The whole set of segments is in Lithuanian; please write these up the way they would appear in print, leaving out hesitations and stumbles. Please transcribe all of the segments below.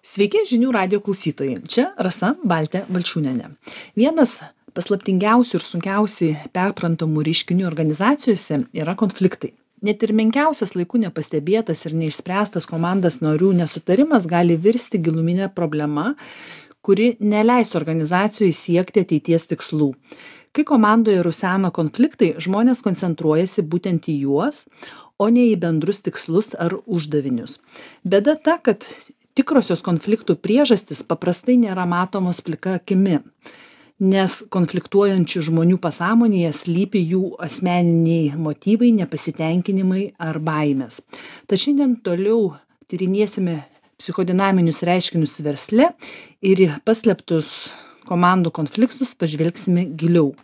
Sveiki žinių radijo klausytojai. Čia Rasa Baltė Balčiūnienė. Vienas paslaptingiausių ir sunkiausiai perprantamų reiškinių organizacijose yra konfliktai. Net ir menkiausias laiku nepastebėtas ir neišspręstas komandos narių nesutarimas gali virsti giluminė problema, kuri neleis organizacijai siekti ateities tikslų. Kai komandoje rusena konfliktai, žmonės koncentruojasi būtent į juos, o ne į bendrus tikslus ar uždavinius. Bėda ta, kad tikrosios konfliktų priežastys paprastai nėra matomos plika akimi, nes konfliktuojančių žmonių pasąmonėje slypi jų asmeniniai motyvai, nepasitenkinimai ar baimės. Tad šiandien toliau tyrinėsime psichodinaminius reiškinius versle ir į paslėptus komandų konfliktus pažvelgsime giliau.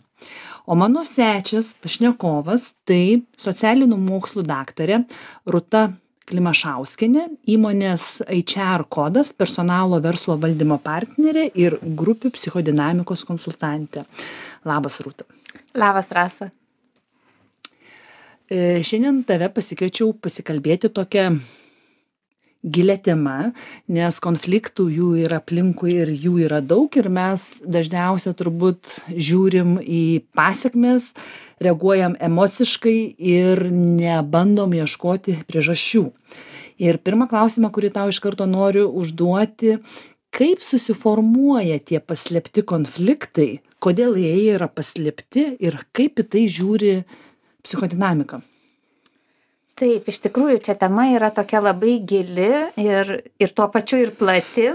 O mano svečias, pašnekovas, tai socialinių mokslų daktarė Rūta Klimašauskienė, įmonės HR kodas, personalo verslo valdymo partnerė ir grupių psichodinamikos konsultantė. Labas, Rūta. Labas, Rasa. Šiandien tave pasikviečiau pasikalbėti tokią gilią temą, nes konfliktų jų yra aplinkui ir jų yra daug ir mes dažniausiai turbūt žiūrim į pasekmes, reaguojam emociškai ir nebandom ieškoti priežasčių. Ir pirmą klausimą, kurį tau iš karto noriu užduoti, kaip susiformuoja tie paslėpti konfliktai, kodėl jie yra paslėpti ir kaip į tai žiūri psichodinamika? Taip, iš tikrųjų, čia tema yra tokia labai gili ir tuo pačiu ir plati.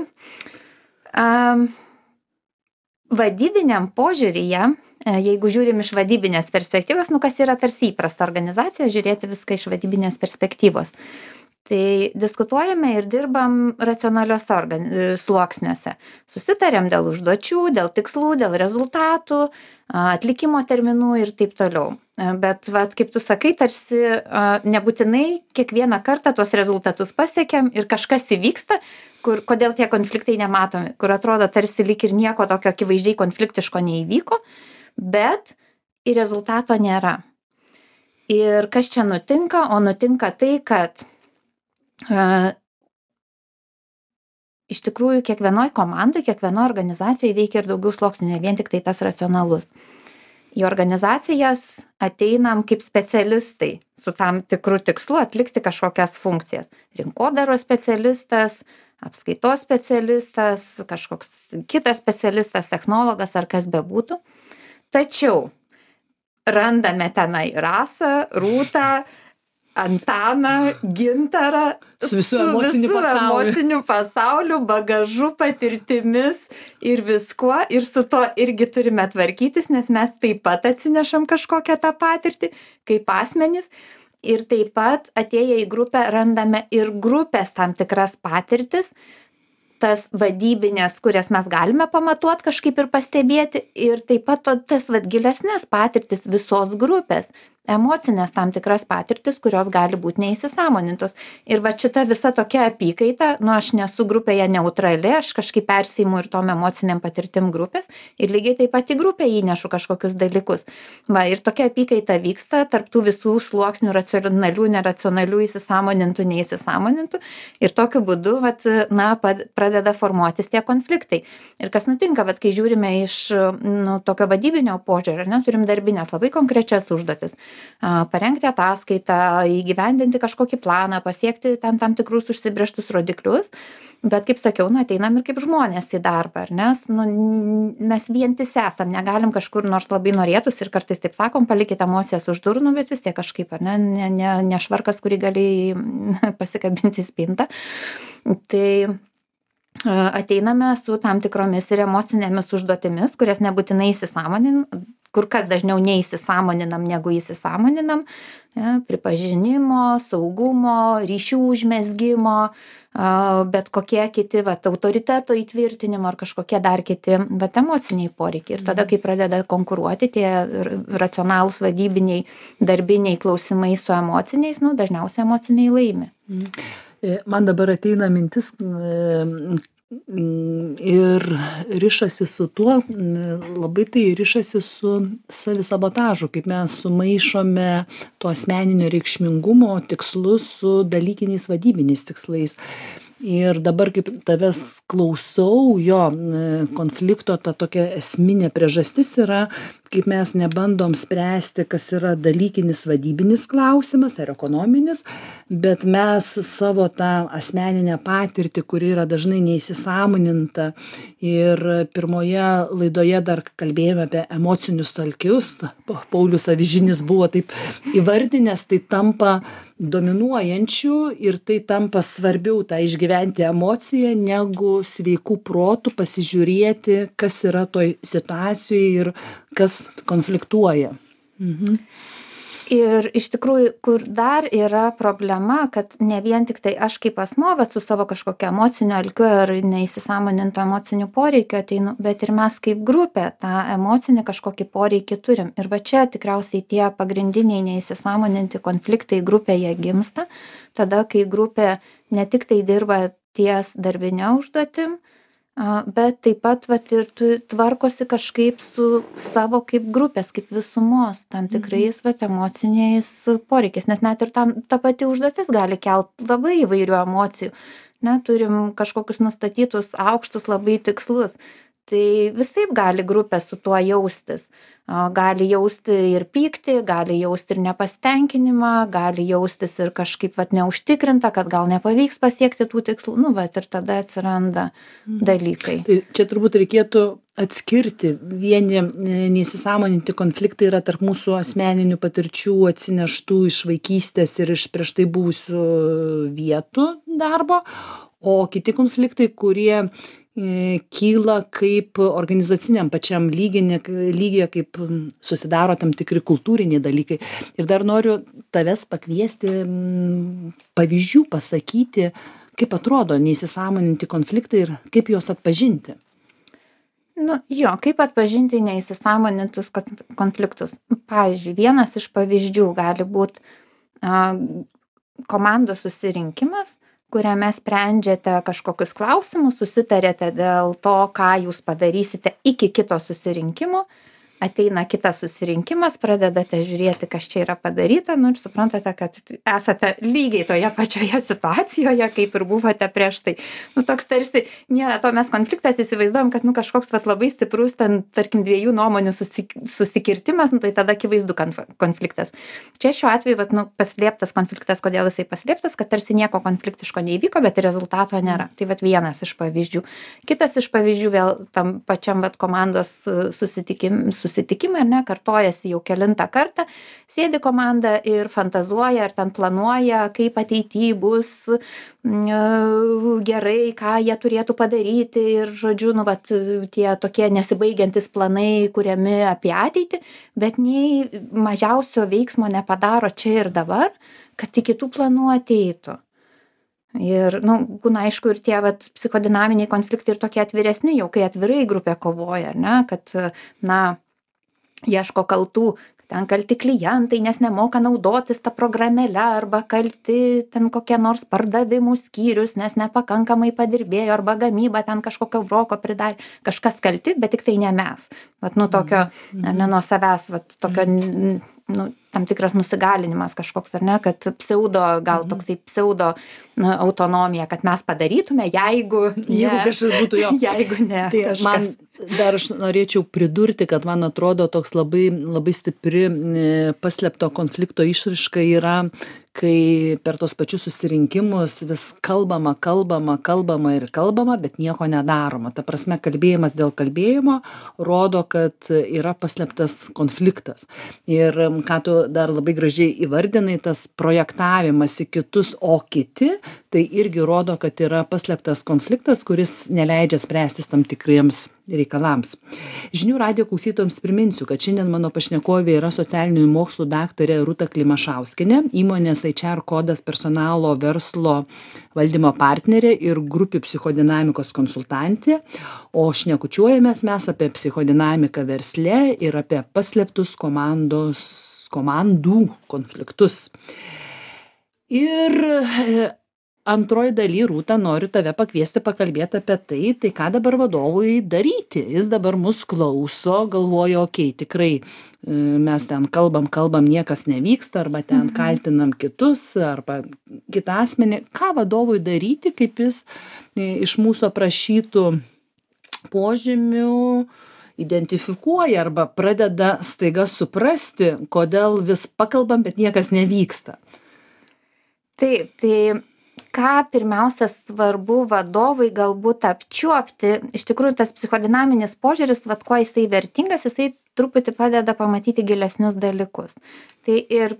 Vadybiniam požiūryje, jeigu žiūrim iš vadybinės perspektyvos, kas yra tarsi įprasta organizacija, žiūrėti viską iš vadybinės perspektyvos. Tai diskutuojame ir dirbam racionaliuose sluoksniuose. Susitariam dėl užduočių, dėl tikslų, dėl rezultatų, atlikimo terminų ir taip toliau. Bet, kaip tu sakai, tarsi nebūtinai kiekvieną kartą tuos rezultatus pasiekiam ir kažkas įvyksta, kodėl tie konfliktai nematomi, kur atrodo tarsi lyg ir nieko tokio akivaizdžiai konfliktiško neįvyko, bet ir rezultato nėra. Ir kas čia nutinka? O nutinka tai, kad iš tikrųjų kiekvienoj komandoj, kiekvienoj organizacijoje veikia ir daugiau sluoksnių, ne vien tik tai tas racionalus. Į organizacijas ateinam kaip specialistai su tam tikru tikslu atlikti kažkokias funkcijas. Rinkodaros specialistas, apskaitos specialistas, kažkoks kitas specialistas, technologas ar kas bebūtų. Tačiau randame tenai Rasą, Rūtą, Antaną, Gintarą su visu emociniu pasauliu, bagažu, patirtimis ir viskuo. Ir su to irgi turime tvarkytis, nes mes taip pat atsinešam kažkokią tą patirtį kaip asmenys. Ir taip pat atėję į grupę randame ir grupės tam tikras patirtis, tas vadybinės, kurias mes galime pamatuoti kažkaip ir pastebėti. Ir taip pat tas gilesnės patirtis visos grupės. Emocinės tam tikras patirtis, kurios gali būti neįsisąmonintos. Ir šita visa tokia apykaita, aš nesu grupėje neutrali, aš kažkaip persiimu ir tom emociniam patirtim grupės ir lygiai taip pat į grupę įnešu kažkokius dalykus. Ir tokia apykaita vyksta tarp tų visų sluoksnių racionalių, neracionalių, įsisąmonintų, neįsisąmonintų ir tokiu būdu pradeda formuotis tie konfliktai. Ir kas nutinka, kai žiūrime iš tokio vadybinio požiūrio, turim darbinės labai konkrečias užduotis. Parengti ataskaitą, įgyvendinti kažkokį planą, pasiekti ten tam tikrus užsibrėžtus rodiklius, bet kaip sakiau, ateinam ir kaip žmonės į darbą, nes mes vientisi esam, negalim kažkur, nors labai norėtųsi ir kartais taip sakom, palikite emocijas už durų, bet vis tiek kažkaip, ne švarkas, kurį gali pasikabinti į spintą. Tai ateiname su tam tikromis ir emocinėmis užduotimis, kurias nebūtinai kur kas dažniau neįsisąmoninam negu įsisąmoninam, pripažinimo, saugumo, ryšių užmezgimo, bet kokie kiti, autoriteto įtvirtinimo ar kažkokie dar kiti, bet emociniai poreikiai. Ir tada, kai pradeda konkuruoti tie racionalūs vadybiniai, darbiniai klausimai su emociniais, dažniausiai emociniai laimi. Man dabar ateina mintis ir rišasi su tuo, labai tai rišasi su savisabotažu, kaip mes sumaišome to asmeninio reikšmingumo tikslus su dalykiniais vadybiniais tikslais. Ir dabar, kaip tavęs klausau, jo konflikto ta tokia esminė priežastis yra, kaip mes nebandom spręsti, kas yra dalykinis vadybinis klausimas ar ekonominis, bet mes savo tą asmeninę patirtį, kuri yra dažnai neįsisąmoninta. Ir pirmoje laidoje dar kalbėjome apie emocinius alkius. Paulius Avižinis buvo taip įvardinęs, tai tampa dominuojančių ir tai tampa svarbiau tą išgyventi emociją, negu sveikų protų pasižiūrėti, kas yra toj situacijoj ir kas konfliktuoja. Ir iš tikrųjų, kur dar yra problema, kad ne vien tik tai aš kaip asmuo, bet su savo kažkokiu emociniu alkiu ar neįsisąmonintu emociniu poreikiu ateinu, bet ir mes kaip grupė tą emocinį kažkokį poreikį turim. Ir va čia tikriausiai tie pagrindiniai neįsisąmoninti konfliktai grupėje gimsta, tada kai grupė ne tik tai dirba ties darbinė užduotim, bet taip pat vat ir tvarkosi kažkaip su savo kaip grupės, kaip visumos tam tikrais vat emociniais poreikiais, nes net ir ta pati užduotis gali kelt labai įvairių emocijų. Ne, turim kažkokius nustatytus aukštus labai tikslus. Tai visaip gali grupė su tuo jaustis. Gali jausti ir pyktį, gali jausti ir nepasitenkinimą, gali jaustis ir kažkaip vat neužtikrinta, kad gal nepavyks pasiekti tų tikslų. Nu, vat ir tada atsiranda dalykai. Tai čia turbūt reikėtų atskirti. Vieni neįsisąmoninti konfliktai yra tarp mūsų asmeninių patirčių atsineštų iš vaikystės ir iš prieš tai buvusių vietų darbo, o kiti konfliktai, kurie kyla kaip organizaciniam pačiam lygyje, kaip susidaro tam tikri kultūriniai dalykai. Ir dar noriu tavęs pakviesti pavyzdžių pasakyti, kaip atrodo neįsisąmoninti konfliktai ir kaip juos atpažinti. Nu, jo, kaip atpažinti neįsisąmonintus konfliktus. Pavyzdžiui, vienas iš pavyzdžių gali būti komandos susirinkimas, kuriame sprendžiate kažkokius klausimus, susitarėte dėl to, ką jūs padarysite iki kito susirinkimo. Ateina kitas susirinkimas, pradedate žiūrėti, kas čia yra padaryta, nu ir suprantate, kad esate lygiai toje pačioje situacijoje, kaip ir buvote prieš tai. Nu, toks tarsi nėra to, mes konfliktas įsivaizduojam, kad kažkoks labai stiprus, tarkim, dviejų nuomonių susikirtimas, tai tada akivaizdu konfliktas. Čia šiuo atveju, paslėptas konfliktas, kodėl jisai paslėptas, kad tarsi nieko konfliktiško neįvyko, bet rezultato nėra. Tai vienas iš pavyzdžių. Kitas iš pavyzdžių vėl tam pačiam komandos susitikimai, ar ne, kartojasi jau kelintą kartą, sėdi komanda ir fantazuoja, ar ten planuoja, kaip ateityje bus gerai, ką jie turėtų padaryti ir, žodžiu, tie tokie nesibaigiantis planai kuriami apie ateitį, bet nei mažiausio veiksmo nepadaro čia ir dabar, kad iki tų planų ateitų. Ir, būna aišku ir tie psichodinaminiai konfliktai ir tokie atviresni, jau kai atvirai grupė kovoja, ar ne, kad, ieško kaltų, ten kalti klientai, nes nemoka naudotis tą programėlę, arba kalti ten kokie nors pardavimų skyrius, nes nepakankamai padirbėjo, arba gamyba ten kažkokio broko pridarė. Kažkas kalti, bet tik tai ne mes. Tokio, ne nuo savęs, tokio, tam tikras nusigalinimas kažkoks, ar ne, kad gal toksai pseudo autonomija, kad mes padarytume, jeigu kažkas būtų jo. Jeigu ne. Tai man dar aš norėčiau pridurti, kad man atrodo toks labai, labai stipri paslėpto konflikto išraiška yra, kai per tos pačius susirinkimus vis kalbama, bet nieko nedaroma. Ta prasme, kalbėjimas dėl kalbėjimo rodo, kad yra paslėptas konfliktas. Ir ką tu dar labai gražiai įvardinai, tas projektavimas į kitus, o kiti, tai irgi rodo, kad yra paslėptas konfliktas, kuris neleidžia spręstis tam tikriems reikalams. Žinių radijo klausytojams priminsiu, kad šiandien mano pašnekovė yra socialinių mokslų daktarė Rūta Klimašauskienė, įmonės HR kodas personalo verslo valdymo partnerė ir grupių psichodinamikos konsultantė, o šnekučiuojamės mes apie psichodinamiką versle ir apie paslėptus komandų konfliktus. Ir antroj daly, Rūta, noriu tave pakviesti pakalbėti apie tai ką dabar vadovui daryti. Jis dabar mus klauso, galvoja, okei, tikrai mes ten kalbam, niekas nevyksta, arba ten kaltinam kitus, arba kitą asmenį. Ką vadovui daryti, kaip jis iš mūsų aprašytų požymių identifikuoja arba pradeda staiga suprasti, kodėl vis pakalbam, bet niekas nevyksta. Taip, tai ką pirmiausia svarbu vadovui galbūt apčiuopti, iš tikrųjų tas psichodinaminis požiūris, kuo jisai vertingas, jisai truputį padeda pamatyti gilesnius dalykus. Tai ir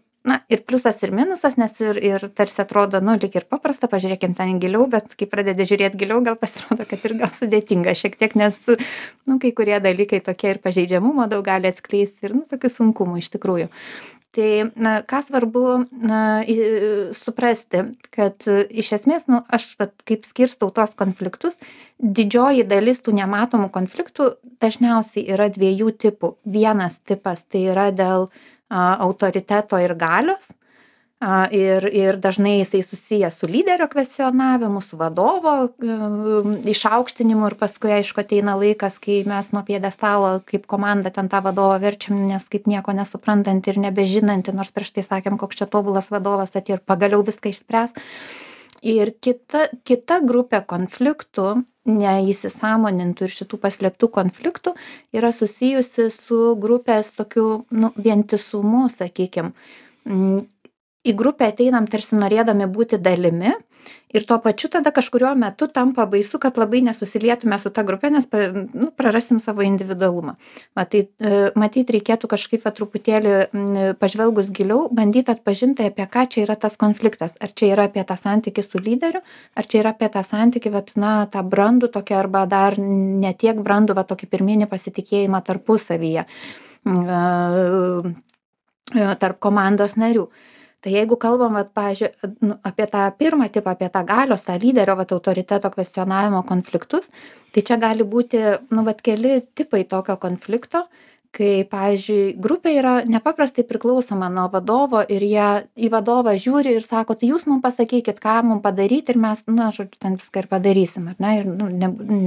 pliusas ir minusas, nes ir tarsi atrodo, lyg ir paprasta, pažiūrėkim ten giliau, bet kai pradedi žiūrėti giliau, gal pasirodo, kad ir gal sudėtinga šiek tiek, nes, kai kurie dalykai tokie ir pažeidžiamumo daug gali atskleisti ir, tokių sunkumų iš tikrųjų. Tai, ką svarbu suprasti, kad iš esmės, aš kaip skirstau tos konfliktus, didžioji dalis tų nematomų konfliktų dažniausiai yra dviejų tipų. Vienas tipas tai yra dėl autoriteto ir galios, ir dažnai jisai susijęs su lyderio kvestionavimu, su vadovo išaukštinimu ir paskui, aišku, ateina laikas, kai mes nuo pjedestalo kaip komanda ten tą vadovą verčiam, nes kaip nieko nesuprantanti ir nebežinanti, nors prieš tai sakėm, koks čia tobulas vadovas atėjo ir pagaliau viską išspręs. Ir kita grupė konfliktų, neįsisąmonintų ir šitų paslėptų konfliktų, yra susijusi su grupės tokiu vientisumu, sakykim. Į grupę ateinam tarsi norėdami būti dalimi ir tuo pačiu tada kažkuriuo metu tampa baisu, kad labai nesusilietume su ta grupė, nes prarasim savo individualumą. Tai matyt, reikėtų kažkaip truputėlį pažvelgus giliau, bandyti atpažinti, apie ką čia yra tas konfliktas. Ar čia yra apie tą santykį su lyderiu, ar čia yra apie tą santykį, tą brandų tokią arba dar netiek brandų, tokį pirminį pasitikėjimą tarpusavyje tarp komandos narių. Tai jeigu kalbam, pavyzdžiui, apie tą pirmą tipą, apie tą galios, tą lyderio, autoriteto kvestionavimo konfliktus, tai čia gali būti, keli tipai tokio konflikto, kai, pavyzdžiui, grupė yra nepaprastai priklausoma nuo vadovo ir jie į vadovą žiūri ir sako, tai jūs mums pasakykit, ką mums padaryti ir mes, žodžiu, ten viską ir padarysim, ar ne? Ir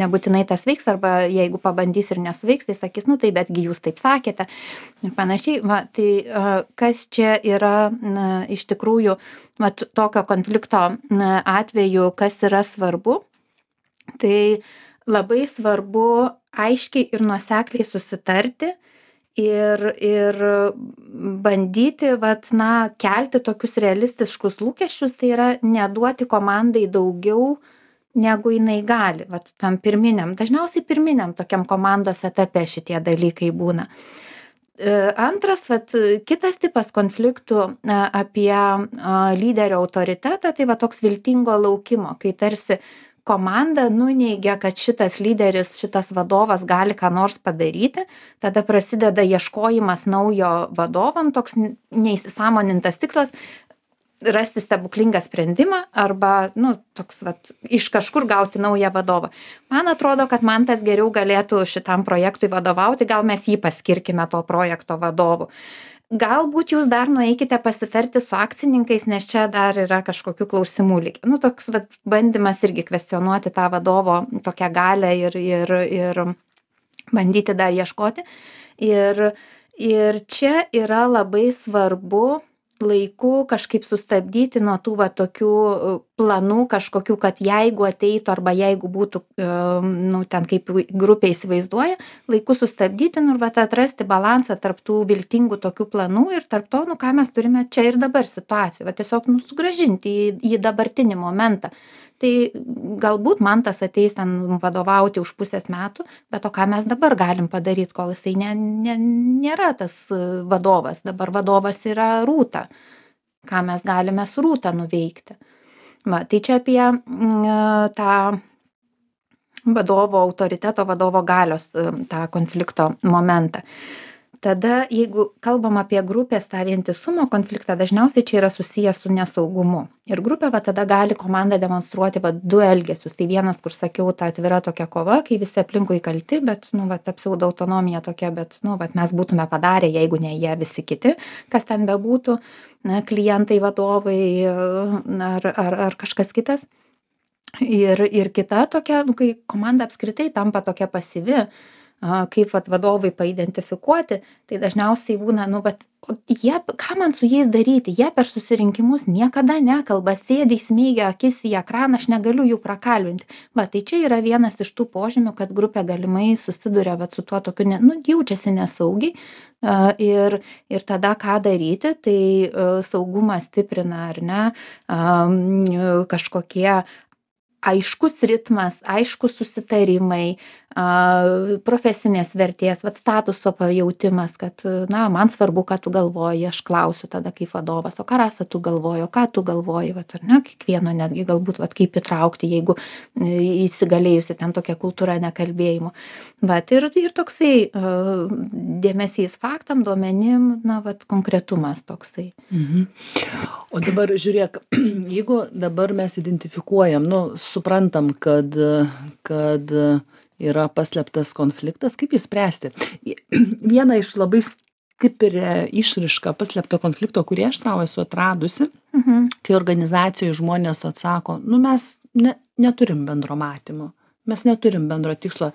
nebūtinai tas veiks, arba jeigu pabandys ir nesuveiks, tai sakys, tai betgi jūs taip sakėte ir panašiai. Tai kas čia yra iš tikrųjų tokio konflikto atveju, kas yra svarbu, tai labai svarbu aiškiai ir nuosekliai susitarti ir bandyti, kelti tokius realistiškus lūkesčius, tai yra neduoti komandai daugiau, negu jinai gali, tam pirminiam, dažniausiai pirminiam tokiam komandos etape šitie dalykai būna. Antras, kitas tipas konfliktų apie lyderio autoritetą, tai toks viltingo laukimo, kai tarsi komanda nuneigia, kad šitas lyderis, šitas vadovas gali ką nors padaryti, tada prasideda ieškojimas naujo vadovam, toks neįsisąmonintas tikslas rasti stebuklingą sprendimą arba, toks iš kažkur gauti naują vadovą. Man atrodo, kad Mantas geriau galėtų šitam projektui vadovauti, gal mes jį paskirkime to projekto vadovu. Galbūt jūs dar nueikite pasitarti su akcininkais, nes čia dar yra kažkokių klausimų likę. Toks bandymas irgi kvestionuoti tą vadovo tokią galę ir bandyti dar ieškoti. Ir čia yra labai svarbu laiku kažkaip sustabdyti nuo tų tokių planų kažkokių, kad jeigu ateitų arba jeigu būtų, ten kaip grupė įsivaizduoja, laiku sustabdyti ir atrasti balansą tarp tų viltingų tokių planų ir tarp to, ką mes turime čia ir dabar situacijų, tiesiog sugrąžinti į dabartinį momentą. Tai galbūt Mantas ateis ten vadovauti už pusės metų, bet ką mes dabar galim padaryti, kol jisai nėra tas vadovas. Dabar vadovas yra Rūta. Ką mes galime su Rūta nuveikti. Tai čia apie tą vadovo autoriteto, vadovo galios tą konflikto momentą. tada jeigu kalbam apie grupės tą vientisumo konfliktą, dažniausiai čia yra susijęs su nesaugumu. Ir grupė va tada gali komanda demonstruoti va du elgesius. Tai vienas, kur sakiau, ta atvira tokia kova, kai visi aplinkui kalti, bet, nu, va, ta pseudo autonomija tokia, bet, nu, va, mes būtume padarę, jeigu ne jie visi kiti, kas ten bebūtų, na, klientai, vadovai ar kažkas kitas. Ir kita tokia, nu, kai komanda apskritai tampa tokia pasyvi, kaip vat vadovai paidentifikuoti, tai dažniausiai būna, nu, vat, jie, ką man su jais daryti, jie per susirinkimus niekada nekalba, sėdi įsmeigia akis į ekraną, aš negaliu jų prakalbinti. Va, tai čia yra vienas iš tų požymių, kad grupė galimai susiduria vat su tuo tokiu, nu, jaučiasi nesaugiai. Ir tada ką daryti, tai saugumą stiprina, ar ne, kažkokie aiškus ritmas, aiškus susitarimai, profesinės vertės, vat statuso pajautimas, kad, na, man svarbu, ką tu galvoji, aš klausiu tada kaip vadovas, o ką Rasa tu galvoji, o ką tu galvoji, vat, ar ne, kiekvieno netgi galbūt, vat, kaip įtraukti, jeigu įsigalėjusi ten tokia kultūra nekalbėjimo. Vat, ir toksai dėmesys faktam, duomenim, na, vat, konkretumas toksai. O dabar žiūrėk, jeigu dabar mes identifikuojam, nu, suprantam, kad yra paslėptas konfliktas, kaip jį spręsti? Viena iš labai stiprią išraišką paslėpto konflikto, kurį aš savo esu atradusi, kai organizacijoje žmonės atsako, nu, mes neturim bendro matymo. Mes neturim bendro tikslo,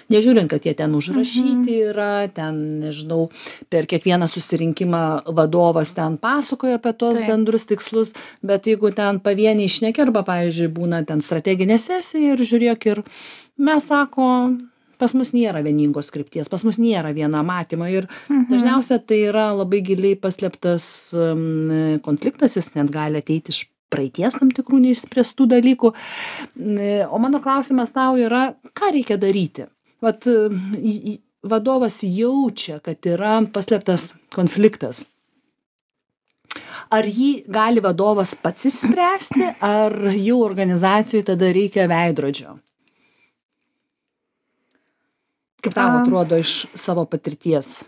nežiūrint, kad jie ten užrašyti yra, ten, nežinau, per kiekvieną susirinkimą vadovas ten pasakoja apie tos bendrus tikslus, bet jeigu ten pavieniai šneki, arba, pavyzdžiui, būna ten strateginė sesija ir žiūrėk, ir mes sako, pas mus nėra vieningos krypties, pas mus nėra viena matymo ir dažniausiai tai yra labai giliai paslėptas konfliktas, jis net gali ateiti iš praeities tam tikrų neišspręstų dalykų. O mano klausimas tau yra, ką reikia daryti? Vat vadovas jaučia, kad yra paslėptas konfliktas. Ar jį gali vadovas pats išspręsti, ar jau organizacijai tada reikia veidrodžio? Kaip tau atrodo iš savo patirties?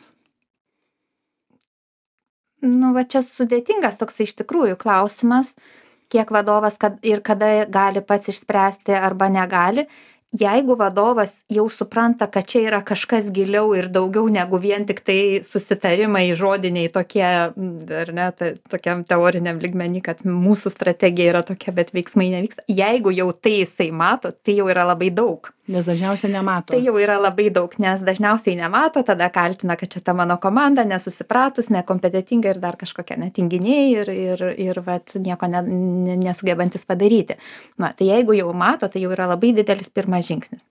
Nu, va čia sudėtingas toks iš tikrųjų klausimas, kiek vadovas ir kada gali pats išspręsti arba negali. Jeigu vadovas jau supranta, kad čia yra kažkas giliau ir daugiau negu vien tik tai susitarimai žodiniai tokie, ar ne, tokiam teoriniam lygmenį, kad mūsų strategija yra tokia, bet veiksmai nevyksta. Jeigu jau tai jisai mato, tai jau yra labai daug. Nes dažniausiai nemato. Tai jau yra labai daug, nes dažniausiai nemato, tada kaltina, kad čia ta mano komanda nesusipratus, nekompetentinga ir dar kažkokia netinginiai ir vat, nieko nesugebantis padaryti. Na, tai jeigu jau mato, tai jau yra labai didelis pirmas žingsnis.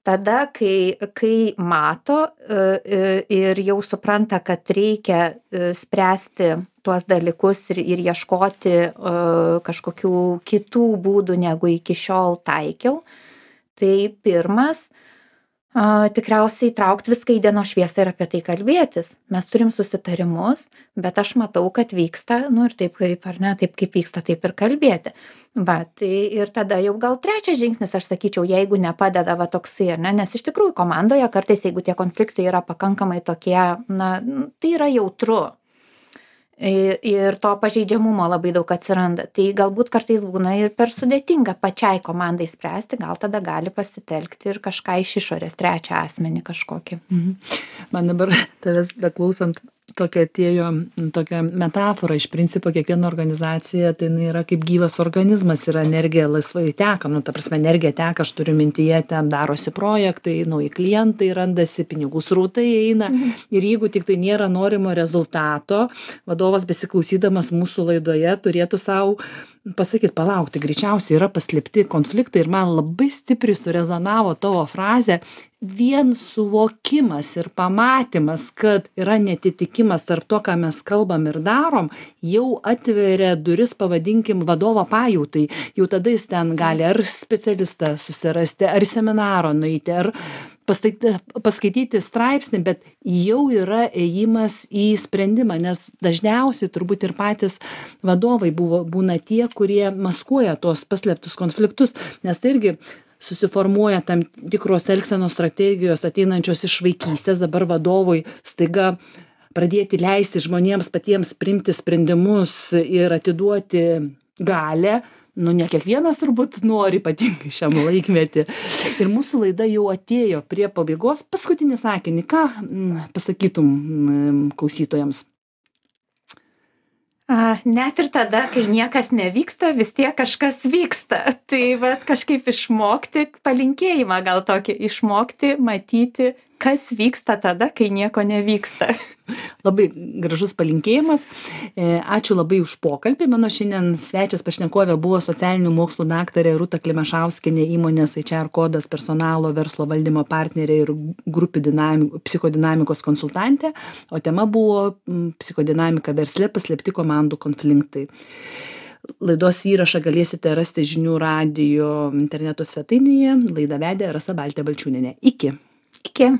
Tada, kai mato ir jau supranta, kad reikia spręsti tuos dalykus ir ieškoti kažkokių kitų būdų, negu iki šiol taikiau, tai pirmas, tikriausiai traukti viską į dienos šviesą ir apie tai kalbėtis. Mes turim susitarimus, bet aš matau, kad vyksta, nu ir taip kaip, ar ne, taip kaip vyksta, taip ir kalbėti. Va, tai ir tada jau gal trečias žingsnis, aš sakyčiau, jeigu nepadeda va toksai, ar ne, nes iš tikrųjų komandoje kartais, jeigu tie konfliktai yra pakankamai tokie, na, tai yra jautru. Ir to pažeidžiamumo labai daug atsiranda. Tai galbūt kartais būna ir per sudėtinga pačiai komandai spręsti, gal tada gali pasitelkti ir kažką iš išorės, trečią asmenį kažkokį. Man dabar tavęs beklausant tokia atėjo tokia metafora, iš principo kiekviena organizacija tai yra kaip gyvas organizmas, yra energija laisvai teka, nu ta prasme energija teka, aš turiu mintyje, ten darosi projektai, nauji klientai randasi, pinigų srautai eina ir jeigu tik tai nėra norimo rezultato, vadovas besiklausydamas mūsų laidoje turėtų savo pasakyti, palaukti, greičiausiai yra paslėpti konfliktai ir man labai stipriai surezonavo tavo frazė, vien suvokimas ir pamatymas, kad yra netitikimas tarp to, ką mes kalbam ir darom, jau atveria duris, pavadinkim, vadovo pajautai. Jau tada jis ten gali ar specialistą susirasti, ar seminaro nueiti, ar paskaityti straipsnį, bet jau yra ėjimas į sprendimą, nes dažniausiai turbūt ir patys vadovai būna tie, kurie maskuoja tos paslėptus konfliktus, nes tai irgi susiformuoja tam tikros elgsenos strategijos ateinančios iš vaikystės, dabar vadovui staiga pradėti leisti žmonėms patiems priimti sprendimus ir atiduoti galią, nu ne kiekvienas turbūt nori, ypatingai šiam laikmetį. Ir mūsų laida jau atėjo prie pabaigos. Paskutinį sakinį, ką pasakytum klausytojams? Net ir tada, kai niekas nevyksta, vis tiek kažkas vyksta. Tai vat kažkaip išmokti, palinkėjimą gal tokį, išmokti, matyti, kas vyksta tada, kai nieko nevyksta. Labai gražus palinkėjimas. Ačiū labai už pokalbį. Mano šiandien svečias pašnekovė buvo socialinių mokslų daktarė Rūta Klimašauskienė, įmonės HR Kodas personalo verslo valdymo partnerė ir grupių psichodinamikos konsultantė, o tema buvo psichodinamika versle, paslėpti komandų konfliktai. Laidos įrašą galėsite rasti žinių radijo interneto svetainėje. Laidą vedė Rasa Baltė Balčiūnienė. Iki. Iki.